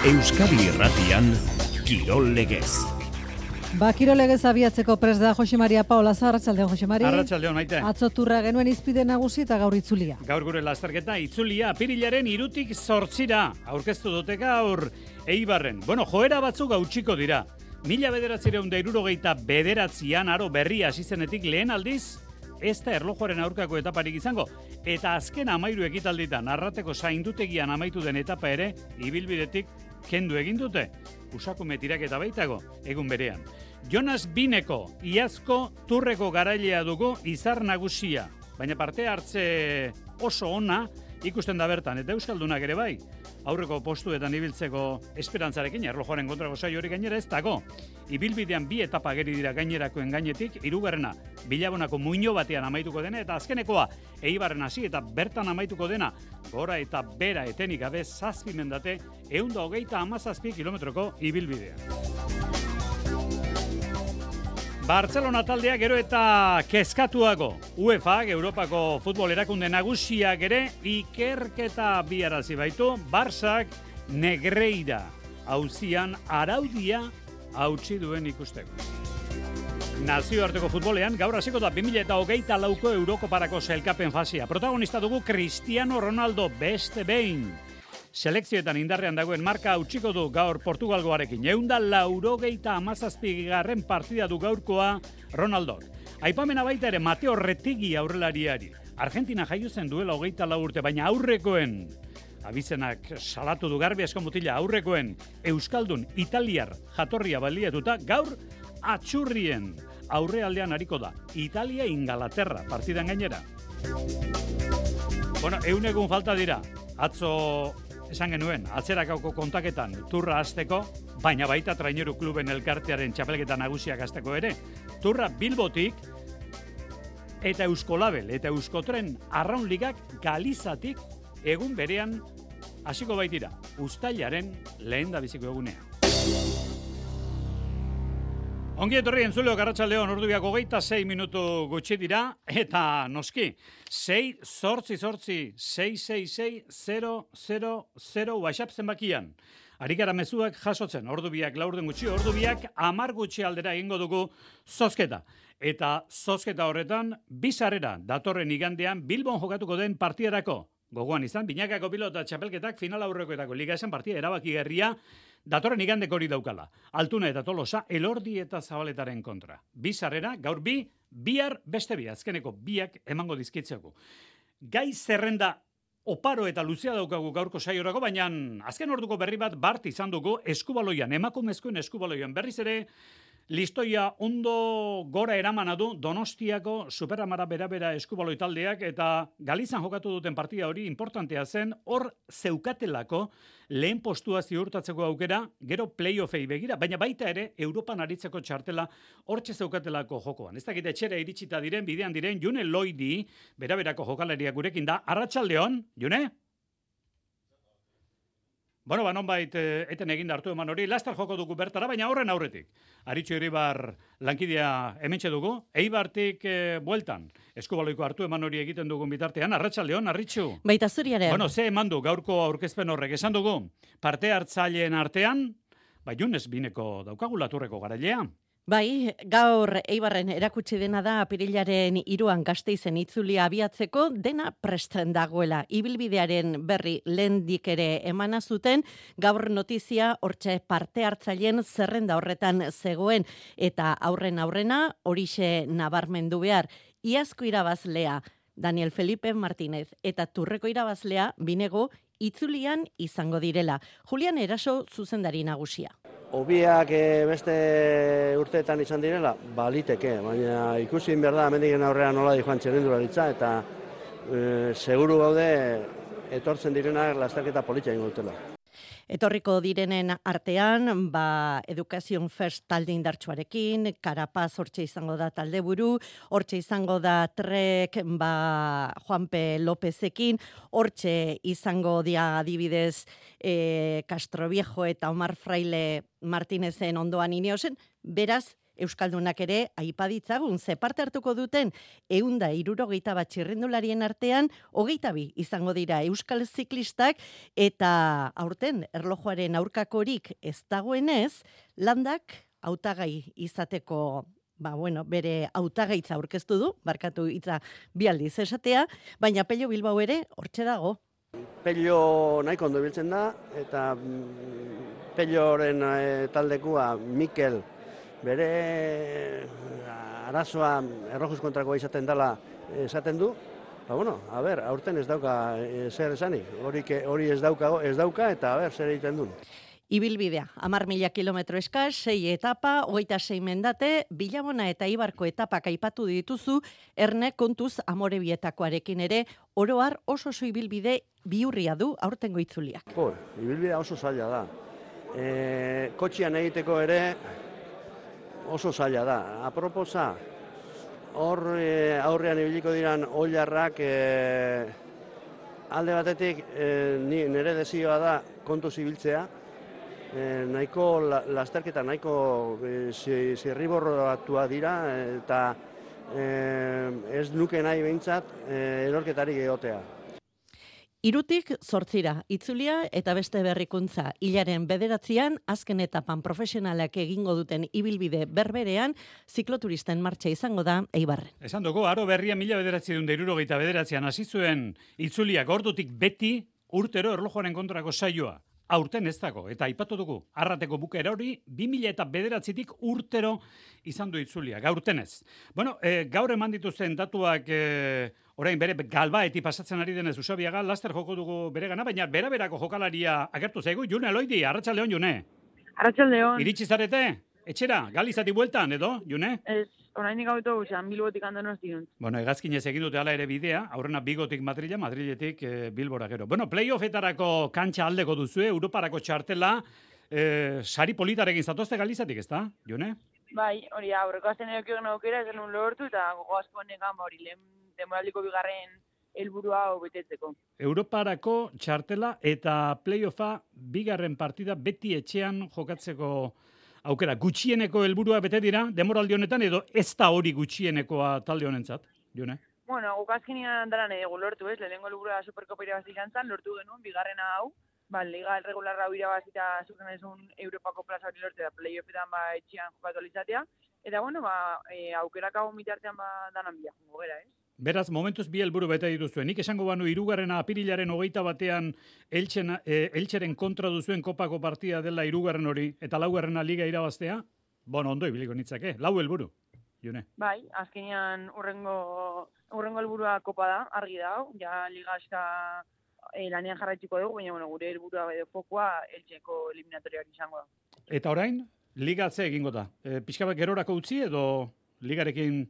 Euskadi Irratian, Kirol Legez. Kirol Legez abiatzeko prest da Jose Maria Paolaza. Arratsaldeon, Jose Maria. Arratsaldeon, Maite. Atzo turra genuen izpide nagusi eta gaur itzulia. Gaur gure lasterketa itzulia apirilaren 3tik 8 aurkeztu dute gaur Eibarren. Joera batzuk gautsiko dira. 1969an aro berria hasi zenetik lehen aldiz, ez da erlojuaren aurkako etaparik izango. Eta azken 13 ekitalditan Arrateko zaindutegian amaitu den etapa ere, ibilbidetik kendu egin dute. Usakume tiraketa baitago, egun berean. Jonas Bineko, iazko turreko garailea dugu izar nagusia. Baina parte hartze oso ona ikusten da bertan, eta euskaldunak ere bai. Aurreko postuetan ibiltzeko esperantzarekin, erlojuaren kontrako saio hori gainera ez dago. Ibilbidean 2 etapa ageri dira gainerakoen gainetik, 3. Bilabonako muino batean amaituko dena, eta azkenekoa Eibarren hasi eta bertan amaituko dena, gora eta bera etenik gabe 7 mendate, 127 kilometroko ibilbidea. Barcelona taldea gero eta kezkatuago. UEFA, Europako futbol erakunde nagusiak ere, ikerketa biarazi baitu, Barsak Negreira auzian araudia hautsi duen ikusteko. Nazioarteko futbolean gaur hasiko da 2024ko Eurokoparako sailkapen fasia. Protagonista dugu Cristiano Ronaldo beste behin. Selekzioetan indarrean dagoen marka hautsiko du gaur Portugalgoarekin. 197. partida du gaurkoa Ronaldok. Aipamena baita ere Mateo Retegi aurrelariari. Argentina jaio zen duela 24 urte, baina aurrekoen abizenak salatu du Garbi asko mutila, aurrekoen euskaldun italiar jatorria baliatuta gaur atxurrien aurrealdean ariko da. Italia-Ingalaterra partidan gainera. Egun falta dira. Atzo esan genuen, atzerakauko kontaketan turra hasteko, baina baita Traineru Kluben elkartearen txapelketa nagusiak hasteko ere. Turra Bilbotik eta Euskolabel eta Euskotren Arraunligak Galizatik egun berean hasiko baitira. Uztailaren lehendabiziko egunean. Ongi etorri entzuleok, arratsaldeon, ordubiak 26 minutu gutxi dira, eta noski, 6-8-6-6-6-0-0-0 WhatsApp zenbakian. Arikara mezuak jasotzen, ordubiak laurden gutxi, ordubiak 10 gutxi aldera egingo dugu zozketa. Eta zozketa horretan, bizarrera datorren igandean Bilbon jokatuko den partidarako. Gogoan izan, Binakako pilota txapelketak final aurrekoetako liga esan partida erabakigarria datorren igandeko hori daukala. Altuna eta Tolosa, Elordi eta Zabaletaren kontra. Bizarrera, gaur bihar beste bi, azkeneko biak emango dizkitzeko. Gai zerrenda oparo eta luzea daukagu gaurko saiorako, baina azken orduko berri bat bart izan dugu eskubaloian, emakumezkoen eskubaloian berriz ere, listoia ondo gora eramana du Donostiako Superamara bera eskubaloi taldeak, eta Galizan jokatu duten partida hori importantea zen, hor zeukatelako lehen postua ziurtatzeko aukera, gero playoffei begira, baina baita ere Europan aritzeko txartela hortxe zeukatelako jokoan. Ez dakit etxera iritsita diren, bidean diren, June Loidi, beraberako jokalariak gurekin da. Arratsaldeon, June? Nonbait eten egin hartu eman hori, lastar joko dugu bertara, baina horren aurretik. Aritxo Iribar lankidea hementxe dugu, Eibartik bueltan. Eskubaloiko hartu eman hori egiten dugun bitartean, arratsaldeon, Arritxu. Baita zuriaren. Ze eman du gaurko aurkezpen horrek, esan dugu, parte hartzaileen artean, Jonas Bineko daukagula turreko garailea. Bai, gaur Eibarren erakutsi dena da apirilaren 3an Gasteizen itzulia abiatzeko dena presten dagoela. Ibilbidearen berri lehendik ere emana zuten, gaur notizia hortxe parte hartzaileen zerrenda horretan zegoen eta aurrena horixe nabarmendu behar. Iazko irabazlea Daniel Felipe Martínez eta turreko irabazlea Binego itzulian izango direla. Julian Eraso zuzendari nagusia. Obiak beste urteetan izan direla, baliteke, baina ikusi behar da, hemendiken aurrean nola di joan txerrendularitza, eta seguru gaude etortzen direnak lasterketa politia ingo dutela. Etorriko direnen artean, Education First talde indartsuarekin, Karapaz hortxe izango da talde buru, hortxe izango da Trek Juanpe Lopezekin, hortxe izango dia adibidez Castroviejo eta Omar Fraile Martinezen ondoan ineosen, beraz, Euskaldunak ere aipaditzagun ze parte hartuko duten 161 txirrindularien artean 22 izango dira euskal ziklistak eta aurten erlojuaren aurkakorik ez dagoenez, Landak hautagai izateko bere hautagaitza aurkeztu du, barkatu hitza bi aldiz esatea, baina Pello Bilbao ere hortxe dago. Pello nahiko ondo biltzen da, eta Pelloren taldekua Mikel bere arazoa errojuz kontrakoa izaten dela esaten du. Aurten ez dauka zer esanik, hori ez dauka eta zer egiten duen. Ibilbidea, 10.000 kilometro eskas, 6 etapa, 26 mendate, Bilabona eta Ibarko etapak aipatu dituzu, erne kontuz Amorebietakoarekin ere, oroar oso ibilbide bihurria du aurtengo itzuliak. Ibilbidea oso zaila da. Kotxian egiteko ere oso zaila da. Aproposa, hor aurrean ibiliko diran oilarrak alde batetik nire desioa da kontuz ibiltzea, nahiko lasterketa nahiko zirriborratua dira eta ez nuke nahi behintzat erorketarik egotea. 3tik 8 itzulia eta beste berrikuntza. Hilaren 9 azken etapan profesionalak egingo duten ibilbide berberean zikloturisten martxa izango da Eibarren. Esan dugu, aro berria 1969an hasi zuen itzuliak ordutik beti urtero erlojuaren kontrako saioa. Aurten ez dago, eta aipatu dugu, Arrateko bukera hori 2009tik urtero izan du itzuliak, aurten ez. Gaur eman dituzten datuak orain bere Galbaeti pasatzen ari denez Usabiaga, laster joko dugu bere gana, baina beraberako jokalaria agertu zaigu. June Eloidi, arratsaldeon, June. Arratsaldeon. Iritsi zarete? Etxera, Galizati bueltan, edo, June? Ez, orainik autobusean, Bilbotik Andonosti dut. Hegazkinez egin dute hala ere bidea, aurrena Bigotik Madrila, Madriletik Bilbora gero. Playoffetarako kantxa aldeko duzue, Europarako txartela, sari politarekin zatozte Galizatik, ez da, June? Bai, hori aurreko azten eukio aukera, ez denun lortu, eta gogo asko negan hori lehen demoraldiko bigarren helburua betetzeko. Europarako txartela eta playoffa bigarren partida beti etxean jokatzeko aukera. Gutxieneko helburua bete dira demoraldi honetan edo ez da hori gutxienekoa talde honentzat, Jone? Guk azkenean daran edo lortu ez, lehenengo helburua Superkopa irabazi izan lortu genuen bigarrena hau, liga regularra hau irabazita zuzen ezun Europako plaza hori lortu da playoffetan etxean jokatu alizatea, eta aukerak hau mitartean danan bila jongo gera, ez? Beraz, momentuz bi helburu bete dituzuen. Nik esango banu 3. apirilaren 21 Eltzeren kontra duzuen kopako partida dela 3. hori, eta 4. liga irabaztea, ondo ibiliko nitzake, 4 helburu, June. Bai, azkenean urrengo helburua kopa da, argi da, ja liga eska lanean jarraitziko dugu, baina gure helburua fokoa Eltzeko eliminatoriak izango da. Eta orain, liga ze egingo da? Pixka bat gerorako utzi edo ligarekin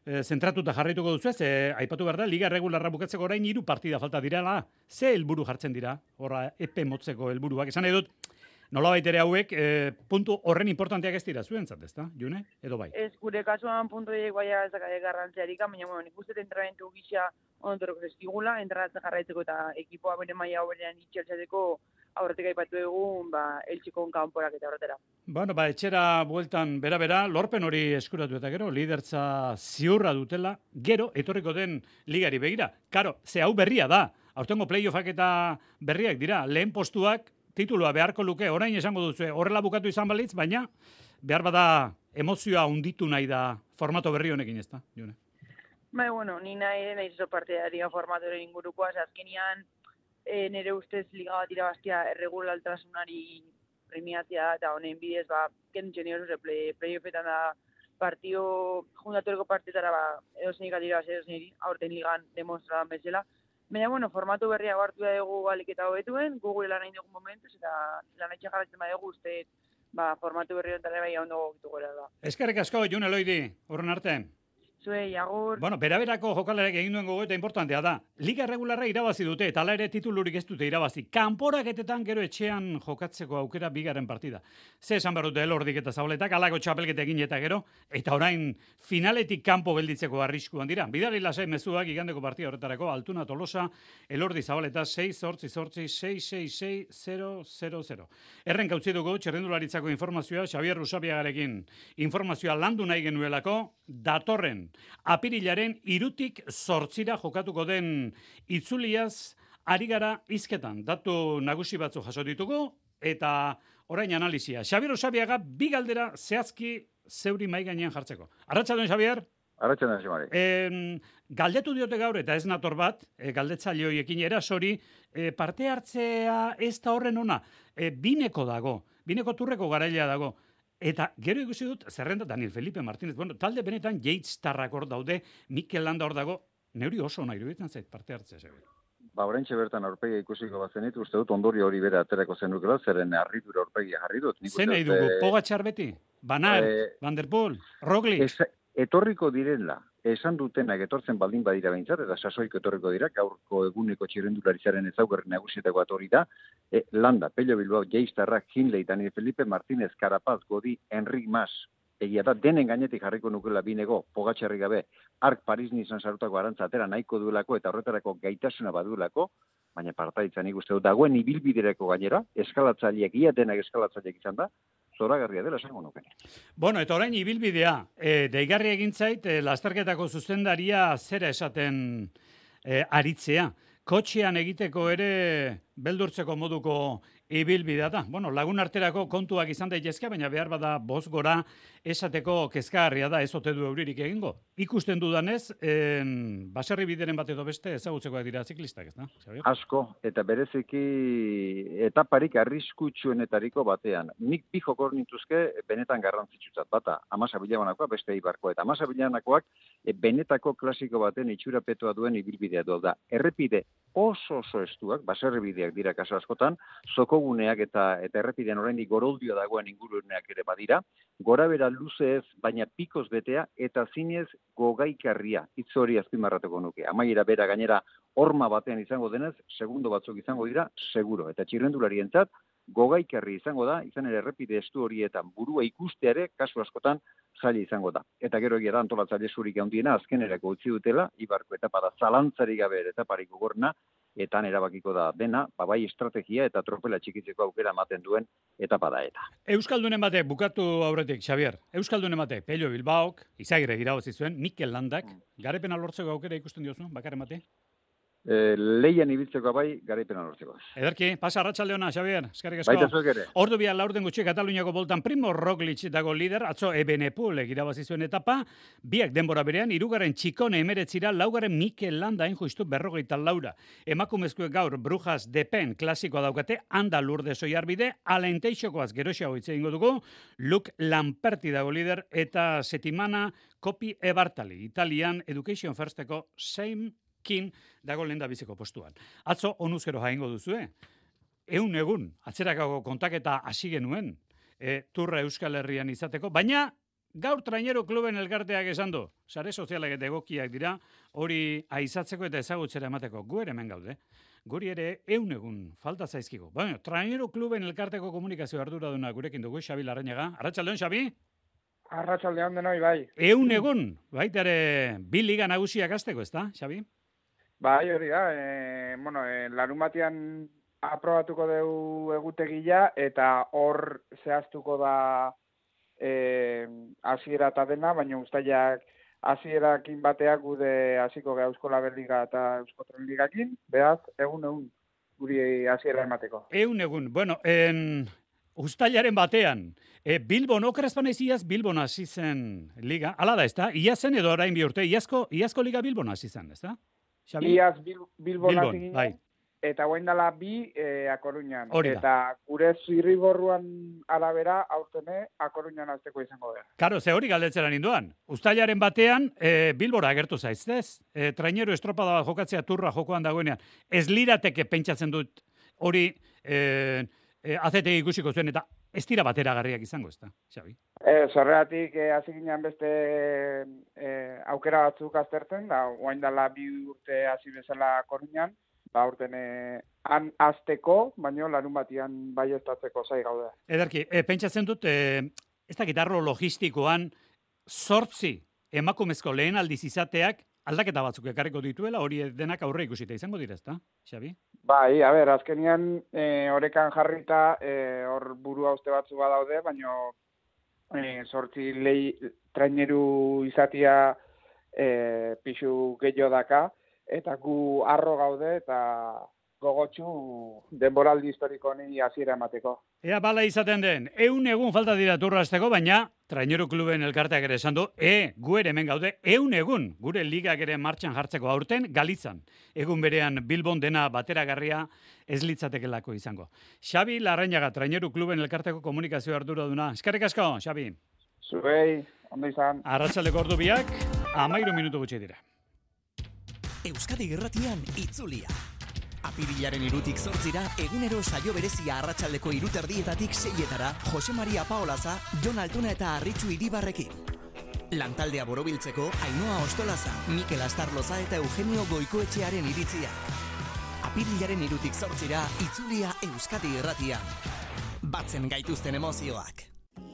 zentratuta jarraituko duzu ez, aipatu behar da, liga regularra bukatzeko orain 3 partida falta direla, ze helburu jartzen dira, horra epe motzeko helburuak, esan edut, nolabait ere hauek, puntu horren importanteak ez dira zuentzat, ez da, June, edo bai? Ez, gure kasuan puntu diek baina ez dakade garrantziarik, baina nik uste entrenamentu gisa ondotoroko zeskigula, entrenatzen jarraitzeko eta ekipoa bere maila hoberean itxeltzateko aurretik aipatu egun, Eltzeko kanporak eta horretara. Etxera bueltan bera, lorpen hori eskuratu eta gero, lidertza ziurra dutela, gero, etorriko den ligari begira. Karo, ze hau berria da, aurtengo playoffak eta berriak dira, lehen postuak titulua beharko luke, orain esango duzu, horrela bukatu izan balitz, baina behar bada emozioa hunditu nahi da formato berri honekin, ez da, June? Ni nahi zo partidaria formatoren ingurukoa, azkenean nire ustez liga bat irabaztia erregulaltasunari premiatzia eta honen bidez, kentzen nire playoffetan da partio, jundatoreko partitara edo zenik atirabaz edo zenik aurten ligan demonstradan bezala. Baina, formatu berria hartu da dugu alik eta hobetuen, gure lan hain dugun momentuz, eta lan haitxe jarratzen badugu uste formatu berri honetan bai ondo gogitu gara da. Eskerrik asko, June Eloidi, horren arte. Zuei, agur. Bueno, beraberako jokalarek egin duen gogoeta importantea da. Liga regularra irabazi dute, eta hala ere titulurik ez dute irabazi. Kanporaketetan gero etxean jokatzeko aukera bigarren partida. Ze esan behar dute Elordik eta Zabaletak, alako txapelketa egin eta gero, eta orain finaletik kanpo gelditzeko arriskuan dira. Bidali lasai mezuak igandeko partida horretarako, Altuna Tolosa, Elordi Zabaleta 6-8-6-6-6-6-0-0-0. Erren gautzi dugu, txerrendularitzako informazioa, Xabier Usabiagarekin informazioa landu nahi genuelako, datorren apirilaren 3tik 8 jokatuko den itzuliaz ari gara hizketan. Datu nagusi batzu jaso ditugu eta orain analizia. Xabier Usabiaga bi galdera zehazki zeuri mai gainean jartzeko. Arratsaldeon, Xabier. Arratsaldeon, Xamari. Galdetu diote gaur eta ez nator bat, galdetzaile horiekin erasori, parte hartzea ez da horren ona. Bineko dago, bineko turreko garailea dago. Eta gero ikusi dut, zerrenda Daniel Felipe Martínez, bueno, talde benetan Yates-tarrak hor daude, Mikel Landa hor dago, neuri oso nahi iruditzen zait parte hartzea. Ba, oraintxe bertan aurpegia ikusiko bazenit, uste dut ondorio hori bere aterako zenukela, zeren harridura aurpegia jarri dut. Zer nahi dugu, Pogačar beti? Van Aert, Van der Poel, Roglic? Etorriko direla, esan dutenak etortzen baldin badira behintzat, eta sasoiko etorriko dira, gaurko eguneko txirrendularizaren ezaugarri nagusietako hori da, Landa, Pello Bilbao, Yates-tarrak, Hindley, Daniel Felipe Martínez, Carapaz, Godi, Enric Mas, egia da, denen gainetik jarriko nukela binego, Pogačarrik gabe, Ark Paris-Nizan sarutako arantza atera nahiko duelako eta horretarako gaitasuna baduelako, baina partaitzan ikuste dut, dagoen ibilbidereko gainera, eskalatzaileak, ia denak eskalatzaileak izan da, zoragarria dela esango nuke. Bueno, eta orain ibilbidea, deigarri egin zait, lasterketako zuzendaria zera esaten aritzea. Kotxean egiteko ere beldurtzeko moduko ibilbidea da. Bueno, lagun arterako kontuak izan daitezke, baina behar bada boz gora esateko kezkagarria da, ez ote du euririk egingo. Ikusten dudanez, baserri bideren bat edo beste ezagutzekoak dira ziklistak, ez da? Asko, eta bereziki etaparik arriskutsuenetariko batean. Nik bi jokor nintuzke benetan garrantzitsutzat. Bata, Amasa Bilabanakoa, beste Eibarkoa. Eta Amasa Bilabanakoak benetako klasiko baten itxurapetoa duen ibilbidea du da. Errepide oso estuak, baserri bideak dira kaso askotan, zokoguneak eta errepidean oraindik goroldio dagoen inguruneak ere badira, gorabera luze ez, baina pikoz betea eta zinez gogaikarria, hitz hori azpimarratuko nuke. Amaiera bera gainera horma batean izango denez, segundo batzuk izango dira, seguro. Eta txirrendularientzat, gogaikarri izango da, izan ere errepide estu horietan burua ikusteare, kasu askotan, zaila izango da. Eta gero egia da antolatzaile zurik handiena azkenerako utzi dutela, Ibarko etapa da zalantzarik gabe etaparik gogorna, eta erabakiko da dena, bai estrategia eta tropela txikitzeko aukera ematen duen etapa da eta. Euskaldunen batek, bukatu aurretik, Xabier, Euskaldunen batek, Pello Bilbaok, Izagirre irabazi zuen, Mikel Landak, garepena lortzeko aukera ikusten diozu, bakarren bate? Leian ibiltzeko bai, garaipena lortzeko. Ederki, pasa arratsaldeona, Xabier, eskerrik asko. Baita zuek ere. Ordu bia laurden gutxi Kataluniako boltan Primo Roglic dago lider, atzo Ebenepul irabazi zuen etapa, biak denbora berean, hirugarren Txikone 19, laugarren Mikel Landa justu 44. Emakumezkoek gaur Brujas Depen klasikoa daukate, Anda Lourdes Oiarbide, Alain Teixokoaz geroxeago hitz egingo dugu, Luke Lamperti dago lider, eta Settimana Coppi e Bartali, Italian Education Firsteko same kin dago lenda biziko postuan. Atzo onuzkero jaingo duzue. Egun, atzerakako kontaketa hasi genuen, turra Euskal Herrian izateko, baina gaur Trainero Kluben elkarteak esan du, sare sozialak eta egokiak dira, hori aizatzeko eta ezagutzera emateko, gu ere hemen gaude. Guri ere egun falta zaizkigu. Baina, Trainero Kluben elkarteko komunikazio arduraduna gurekin dugu, Xabi Larrañaga. Arratsaldeon, Xabi? Arratsaldeon denoi, bai. Egun, baita ere, bi liga nagusiak hasteko, ez da, Xabi? Bai, hori da, larun batean aprobatuko dugu egutegia eta hor zehaztuko da hasiera eta dena, baina ustailak hasierakin bateak gude hasiko gara Eusko Labelliga eta Eusko Trenligakin, beraz, egun guri hasiera emateko. Egun, bueno, ustailaren batean, Bilbon, okerazpan iaz Bilbon hasi zen liga, ala da, ez da? Iazen edo orain bi urte, iazko liga Bilbon hasi zen, ez da? Iaz Bilbon hasi ginen, bai. Eta guain dela bi A Coruñan. Hori da. Eta gure zirriborruan arabera aurtene A Coruñan azteko izango da. Karo, ze hori galdetzera ninduan. Uztailaren batean Bilbora agertu zaiz, Trainero estropada bat jokatzea turra jokoan dagoenean. Ez lirateke pentsatzen dut hori AZT ikusiko zuen eta ez dira bateragarriak izango, ez da, Xabi? Zorreatik hasi ginen beste aukera batzuk aztertzen, da orain dela 2 urte hasi bezala Koruñan, urten han azteko, baino larun batian baieztatzeko zai gaude. Ederki, pentsatzen dut, ez dakit arlo logistikoan 8 emakumezko lehen aldiz izateak aldaketa batzuk ekarriko dituela, hori denak aurre ikusita izango dira, ezta, Xabi? Bai, azkenian orekan jarrita hor buru hauste batzu badaude, baino 8 traineru izatia pixu gehiago daka, eta gu arro gaude eta gogotsu denboraldi historiko honi hasiera emateko. Ea bala izaten den, 100 egun falta dira turrasteko, baina traineru kluben elkarteak ere esan du, gu ere hemen gaude, 100 egun, gure ligak ere martxan jartzeko aurten, Galizan. Egun berean Bilbon dena bateragarria ez litzatekelako izango. Xabi Larrañaga, traineru kluben elkarteko komunikazio arduraduna. Eskerrik asko, Xabi. Zuei, ondo izan. Arratsaldeko ordu biak, 13 minutu gutxi dira. Euskadi Irratian itzulia. Apirilaren 2tik 8 egunero saio berezia arratsaldeko 3:30 6etara Jose Maria Paolaza, Jon Altuna eta Arritxu Iribarrekin. Lantaldea borobiltzeko Ainhoa Ostolaza, Mikel Astarloza eta Eugenio Goikoetxearen iritziak. Apirilaren 2tik 8 itzulia Euskadi Irratian. Batzen gaituzten emozioak.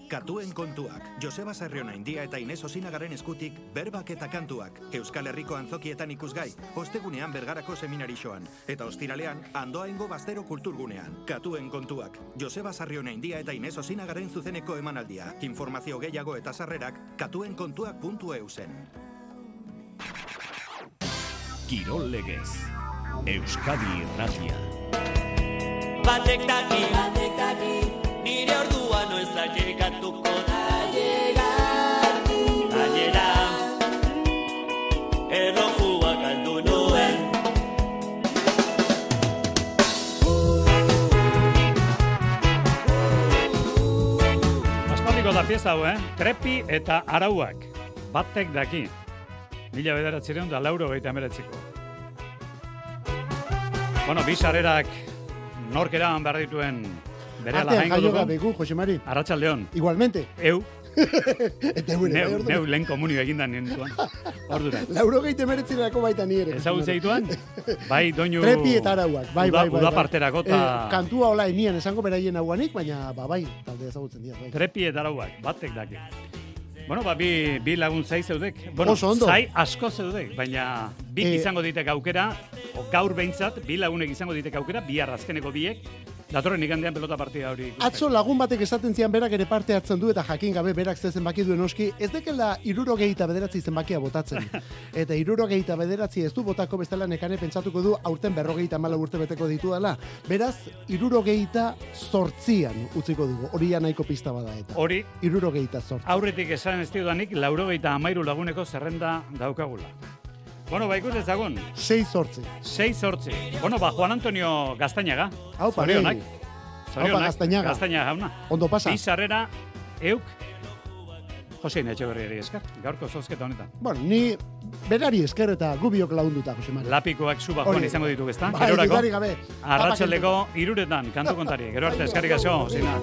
Katuen kontuak, Joseba Sarrionaindia eta Ines Osinagaren eskutik berbak eta kantuak, Euskal Herriko antzokietan ikusgai, ostegunean Bergarako seminarixoan, eta ostiralean Andoaingo Baztero kulturgunean. Katuen kontuak, Joseba Sarrionaindia eta Ines Osinagaren zuzeneko emanaldia. Informazio gehiago eta sarrerak katuenkontuak.eusen. Kirol Legez, Euskadi Irratia. Batek daki, nire ordua noiz ailegatuko da. Aiera, errojua galdu nuen. Aspaldiko da pieza hau, Trepi eta Arauak. Batek daki. 1989ko. Bueno, bi sarerak nork eraman behar dituen berehala jaingo dugu. Artean jaio Jose Mari. Arratsaldeon. Igualmente. Neu lehen komunio egindan nintuan. Ordura. 89erako baita ni ere. Ezagutzen dituan? Bai, doinu... Trepi eta Arauak. Bai. Udaparterako eta... Kantua hola enian esango beraien hauanik, baina bai, talde ezagutzen dira. Bai. Trepi eta Arauak, batek daki. Bueno, bi lagun zai zeudek. Bueno, oso ondo. Zai asko zeudek, baina bik izango ditek aukera, gaur behintzat, bi lagunek izango ditek aukera, bihar azkeneko biek, datorren igandean pelota partida hori ikusten. Atzo lagun batek esaten zian berak ere parte hartzen du eta jakin gabe berak ze zenbaki duen oski, ez dekela 69 zenbakia botatzen. Eta 69 ez du botako bestela nekane pentsatuko du aurten 54 urte beteko ditu dela. Beraz, 78an utziko dugu. Hori ja nahiko pista bada eta. Hori 78. Aurretik esan ez diodanik 93 laguneko zerrenda daukagula. Bueno, ikusi ezagun. 6-8. Bueno, Juan Antonio Gaztañaga. Aupa, Zorionak. Gaztañaga jauna. Ondo pasa. Bi sarrera, euk, Josein Etxeberriari esker, gaurko zozketa honetan. Bueno, ni berari esker eta gubiok lagunduta, Jose Mari. Lapikoak zu bajoan izango ditu, ezta? Bai, dudari gabe. Arratsaldeko 3 kantu kontari. Gero arte eskerrik asko, Joseina.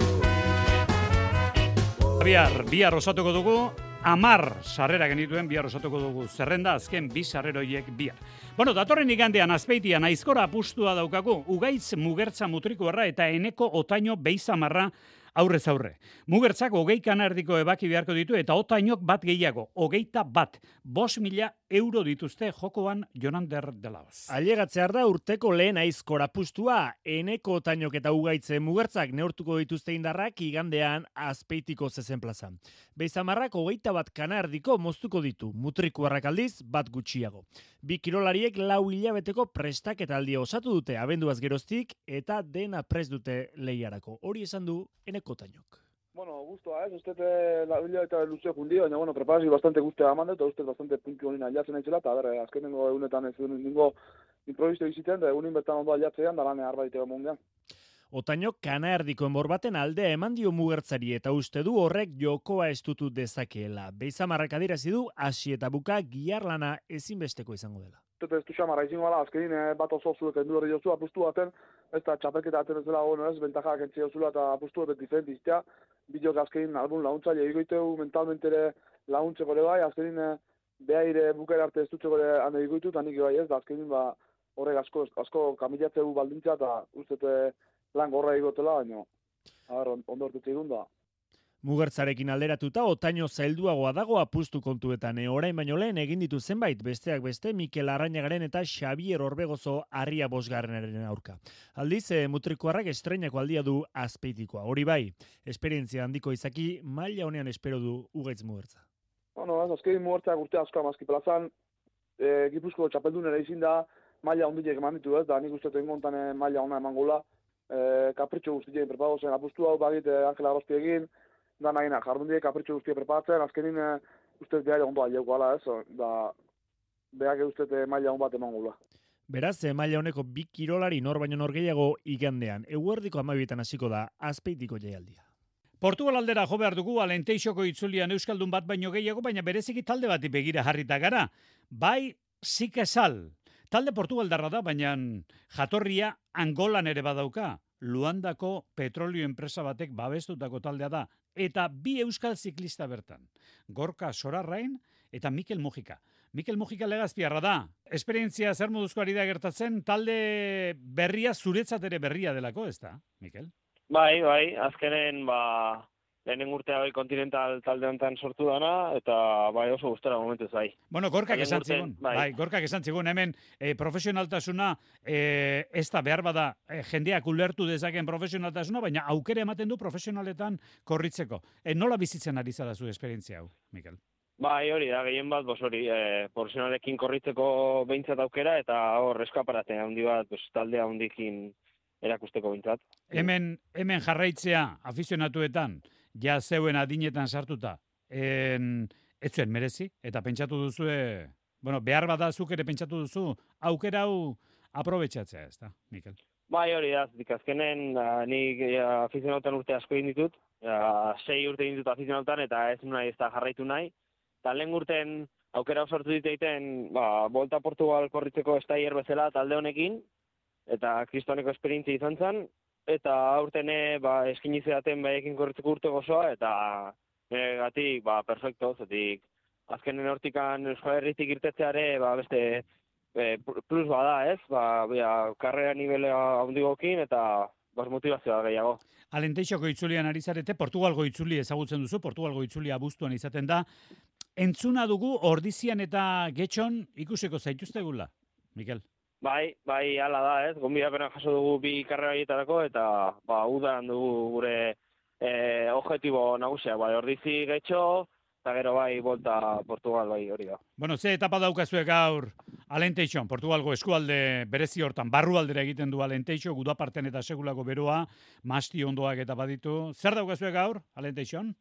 Bihar osatuko dugu, 10 sarrera genituen bihar osatuko dugu zerrenda, azken 2 sarreroiek bihar. Bueno, datorren igandean Azpeitian aizkora apustua daukagu, Ugaitz Mugertza Mutrikuarra eta Eneko Otaino Beizamarra aurrez aurre. Mugertzak 20 kanardiko ebaki beharko ditu eta Otainok bat gehiago, 21. 5.000 euro dituzte jokoan Jonander de Laos. Ailegatzear da urteko lehen aizkora apustua, Eneko Otainok eta Ugaitze Mugertzak neurtuko dituzte indarrak igandean Azpeitiko zezen plazan. Beizamarrak 21 kanardiko moztuko ditu, Mutrikuarrak aldiz bat gutxiago. Bi kirolariek 4 hilabeteko prestaketaldia osatu dute abenduaz geroztik eta dena prest dute lehiarako. Hori esan du Eneko Otainok. Bueno, gustoa, uste la hilabete luze jundi, baina bueno, preparazio bastante gustea eman dut, uste bastante puntu honina ailatzen aitzela, eta azkenengo egunetan ez ningo improviso biziten, da egunin bertan ondo ailatzean, da lane arbaiteko mungean. Otainok kanaerdiko enbor baten aldea eman dio Mugertzari eta uste du horrek jokoa estutu dezakeela. Beizamarrak adierazi du hasi eta buka giharlana ezinbesteko izango dela. uste ez du xamarra izango gala, azkenin bat oso zuek endu hori jozu, apustu baten, ez da txapelketa aten ez dela ono ez, bentajak entzia zula eta apustu baten diferent iztea, bidok azkenin albun launtzaile egoiteu mentalmente ere launtzeko ere bai, azkenin behaire bukera arte ez dutzeko ere hane egoitu, eta nik bai ez, da azkenin horrek asko kamilatzeu baldintza eta uste lan gorra egotela, baina ondo hortetze egun da. Mugertzarekin alderatuta, otaino zailduagoa dago apustu kontuetan. Orain baino lehen egin ditu zenbait, besteak beste, Mikel Arrainagaren eta Xabier Orbegozo Arria bosgarrenaren aurka. Aldiz, mutrikuarrak estreinako aldia du Azpeitikoa. Hori bai, esperientzia handiko izaki, maila honean espero du Ugaitz Mugertza. Azkein Mugertzak urte asko amazki plazan, Gipuzko txapeldun ere izin da, maila hondiek eman ditu ez, da nik uste tengontan maila hona eman gula, kapritxo guztien prepago zen, apustu hau bagit Angela Arosti egin, da nahi jardundiek kapritxo guztia preparatzen, azkenin ustez behar ondo aliauko ala ez, da behar ustez maila hon bat eman gula. Beraz, maila honeko bi kirolari nor baino nor gehiago igandean. Eguerdiko 12etan hasiko da Azpeitiko jaialdia. Portugal aldera jo behar dugu Alenteixoko itzulian euskaldun bat baino gehiago, baina bereziki talde bati begira jarrita gara. Bai, Zikesal. Talde Portugaldarra da, baina jatorria Angolan ere badauka. Luandako petrolio enpresa batek babestutako taldea da. Eta bi euskal ziklista bertan. Gorka Sorarrain eta Mikel Mujika. Mikel Mujika Legazpiarra da. Esperientzia zer moduzko ari da gertatzen, talde berria zuretzat ere berria delako, ez da, Mikel? Bai, azkenen lehenen urtea bai kontinental talde honetan sortu dana, eta bai oso gustara momentuz bai. Bueno, Gorkak esan zigun, Gorkak esan zigun, hemen profesionaltasuna ez da behar bada jendeak ulertu dezaken profesionaltasuna, baina aukera ematen du profesionaletan korritzeko. Nola bizitzen ari zara zu esperientzia hau, Mikel? Bai, hori da, gehien bat, profesionalekin korritzeko behintzat aukera, eta hor eskaparatea handi bat, taldea handikin erakusteko behintzat. Hemen jarraitzea afizionatuetan, ja zeuen adinetan sartuta, ez zuen merezi, eta pentsatu duzue, behar badazuk ere pentsatu duzu, aukera hau aprobetxatzea, ez da, Mikel? Bai, hori da, azkenen nik afizionatutan urte asko egin ditut, 6 urte egin ditut afizionatutan, eta ez nahi ez da jarraitu nahi, eta lehen urten aukera sortu diteiten, Volta Portugal korritzeko estaier bezala talde honekin, eta kristoneko esperientzia izan zen, eta aurten eskinizeaten baiekin korritzeko urte gozoa, eta gatik, perfecto, zetik azkenen hortikan Euskal Herritik irtetzeare, beste plus bada, ez? Karrera nivele handigokin, eta motivazioa gehiago. Alenteixoko itzulian ari zarete, Portugalgo itzuli ezagutzen duzu, Portugalgo itzulia abuztuan izaten da. Entzuna dugu Ordizian eta Getxon ikusiko zaituztegula, Mikel? Bai, hala da, ez? Gonbidapena jaso dugu bi karrera horietarako, eta udan dugu gure objektibo nagusia, Ordizi Getxo, eta gero Volta Portugal, hori da. Bueno, ze etapa daukazuek gaur Alenteixon, Portugalgo eskualde berezi hortan, barrualdera egiten du Alenteixo, gudaparten eta segulako beroa, masti ondoak eta baditu. Zer daukazuek gaur Alenteixon?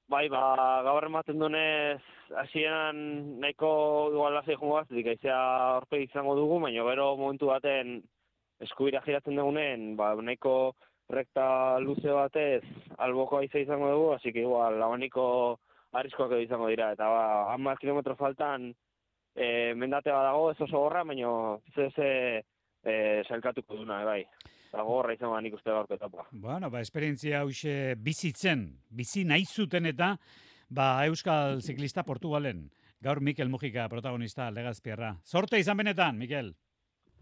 Gaur ematen dunez, hasieran nahiko igual lasai joango bat, aizea horpe izango dugu, baina gero momentu baten eskubira giratzen dugunen, nahiko rekta luze batez alboko aizea izango dugu, así que igual labaniko arriskoak edo izango dira, eta 10 kilometro faltan mendate badago, ez oso gorra, baina sailkatuko duna, bai. Eta gorra izan nik uste gaurko etapa. Bueno, esperientzia hause bizi nahi zuten eta Euskal Ziklista Portugalen. Gaur Mikel Mujika protagonista Legazpiarra. Zorte izan benetan, Mikel.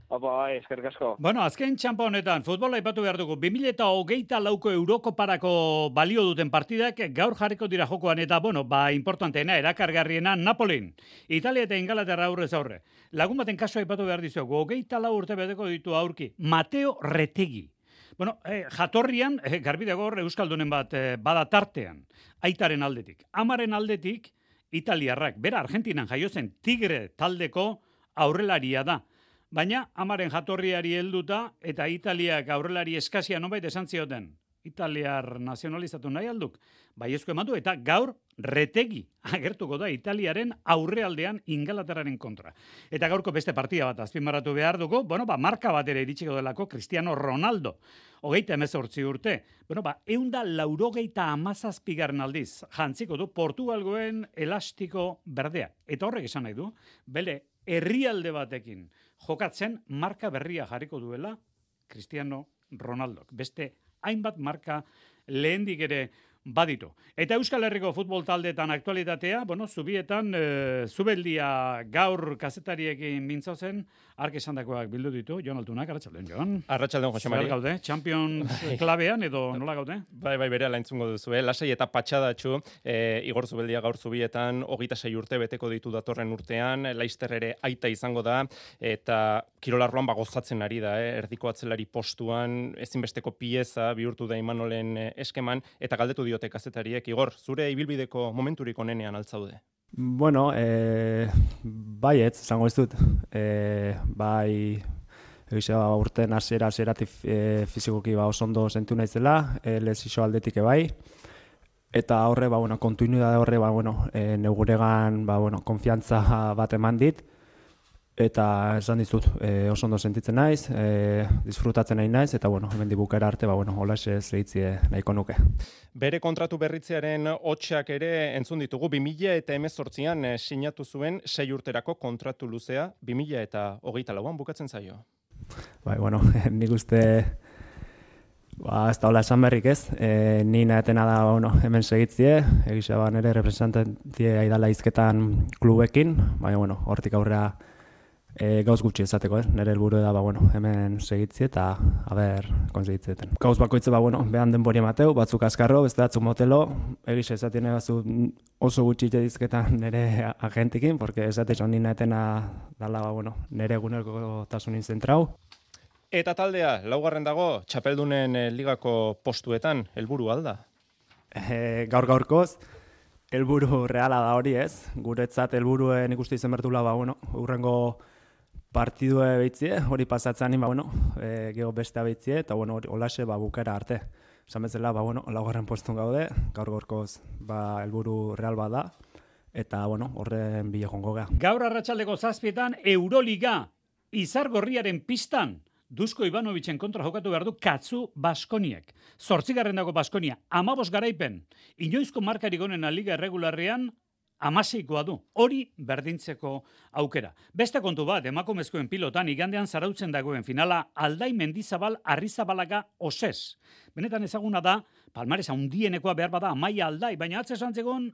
Eskerrik asko. Bueno, azken txampa honetan, futbola aipatu behar dugu. 2024ko Eurokoparako balio duten partidak gaur jarriko dira jokoan eta, importanteena, erakargarriena, Napolin. Italia eta Ingalaterra aurrez aurre. Lagun baten kaso aipatu behar dizuegu. 24 urte bedeko ditu aurki. Mateo Retegi. Jatorrian, garbi dago euskaldunen bat bada tartean. Aitaren aldetik. Amaren aldetik, italiarrak. Bera, Argentinan jaio zen Tigre taldeko aurrelaria da. Baina, amaren jatorriari helduta eta Italiak aurrelari eskasia nonbait esan zioten. Italiar nazionalizatu nahi alduk. Baiezko eman du eta gaur Retegi agertuko da Italiaren aurrealdean Ingalaterraren kontra. Eta gaurko beste partida bat azpimarratu behar dugu, marka bat ere iritsiko delako Cristiano Ronaldo. 38 urte. 187 aldiz jantziko du Portugalgoen elastiko berdea. Eta horrek esan nahi du, bere herrialde batekin jokatzen marka berria jarriko duela Cristiano Ronaldok. Beste hainbat marka lehendik ere baditu. Eta Euskal Herriko futbol taldeetan aktualitatea, zubietan, zubeldia gaur kazetariekin mintzozen, ark esandakoak bildu ditu, Jon Altunak, arratsaldeon, Jon. Arratsaldeon, Jose Mari. Zer gaude, Champions klabean edo nola gaude? Bai, bere laintzungo duzu, lasai eta patxadatxu, Igor Zubeldia gaur zubietan, 26 urte beteko ditu datorren urtean, Laister ere aita izango da, eta kirolarroan gozatzen ari da, erdiko atzelari postuan, ezinbesteko pieza bihurtu da Imanolen eskeman, eta galdetu diote kazetariek. Igor, zure ibilbideko momenturik onenean altzaude? Bueno, baietz, esango ez dut. Bai, urten hasieratik fizikoki oso ondo sentu naizela, lesiso aldetik bai. Eta horre, kontinuidade horre, neuguregan, konfiantza bat eman dit. Eta esan dizut, oso ondo sentitzen naiz, disfrutatzen nahi naiz, eta hemen dibukera arte, holaxe zehitzie nahiko nuke. Bere kontratu berritzearen hotxak ere entzun ditugu, 2018an sinatu zuen 6 urterako kontratu luzea, 2024an bukatzen zaio. Bai, nik uste, ez da hola esan berrik ez, ni nahetena da hemen segitzie, egisa nire representantie aidala izketan klubekin, baina hortik aurrera gauz gutxi esateko, nire helburu da hemen segitzi eta konsegitzeten. Gauz bakoitze behan denbori emateu, batzuk askarro, beste batzuk motelo, egiz esatien egazu oso gutxi jedizketan nire agentikin, porque esatexo nina etena dala nire egunerko tasunin zentrau. Eta taldea, laugarren dago, txapeldunen ligako postuetan, helburu alda? Gaur-gaurkoz, helburu reala da hori ez, guretzat helburuen ikuste izen bertula, urrengo partidue behitzie, hori pasatzen geho bestea behitzie, eta holaxe bukera arte. Esan bezala, laugarren postun gaude, gaur-gaurkoz helburu real bat da, eta horren bile jongo gea. Gaur arratsaldeko 7etan Euroliga Izargorriaren pistan Dusko Ivanovicen kontra jokatu behar du Katzu Baskoniek. 8. dago Baskonia, 15 garaipen, inoizko markarik onena liga erregularrean, 16koa du. Hori berdintzeko aukera. Beste kontu bat, emakumezkoen pilotan igandean zarautzen dagoen finala Aldai Mendizabal Arrizabalaga Osez. Benetan ezaguna da, palmaresa handienekoa behar bada Amaia Aldai, baina atze santzegon,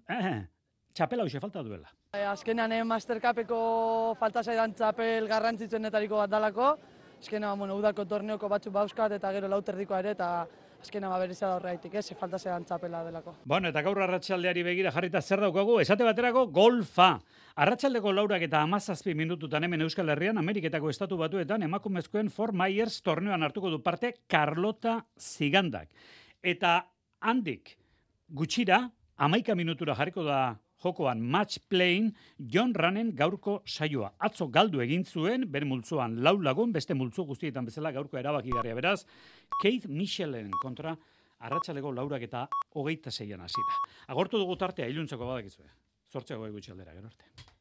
txapela hoxe falta duela. Azkenean Mastercupeko falta zaidan txapel garrantzitsuenetariko bat dalako. Azkenean, udako torneoko batzuk bauzkat eta gero lauterdikoa ere, eta azkenean berrizia da horreitik, falta zean txapela delako. Eta gaur arratsaldeari begira jarrita zer daukagu, esate baterako golfa. Arratsaldeko 4 eta 17 minututan hemen Euskal Herrian, Ameriketako Estatu Batuetan, emakumezkoen Fort Myers torneoan hartuko du parte Carlota Zigandak. Eta handik gutxira, 11 minutura jarriko da jokoan match playing Jon Ranen gaurko saioa. Atzo galdu egin zuen, bere multzoan 4 lagun, beste multzo guztietan bezala gaurko erabakigarria beraz, Keith Michelen kontra arratsaleko 4 eta 26an hasita. Agortu dugu tartea, iluntzeko badakizue. 8 gutxi aldera, gero arte.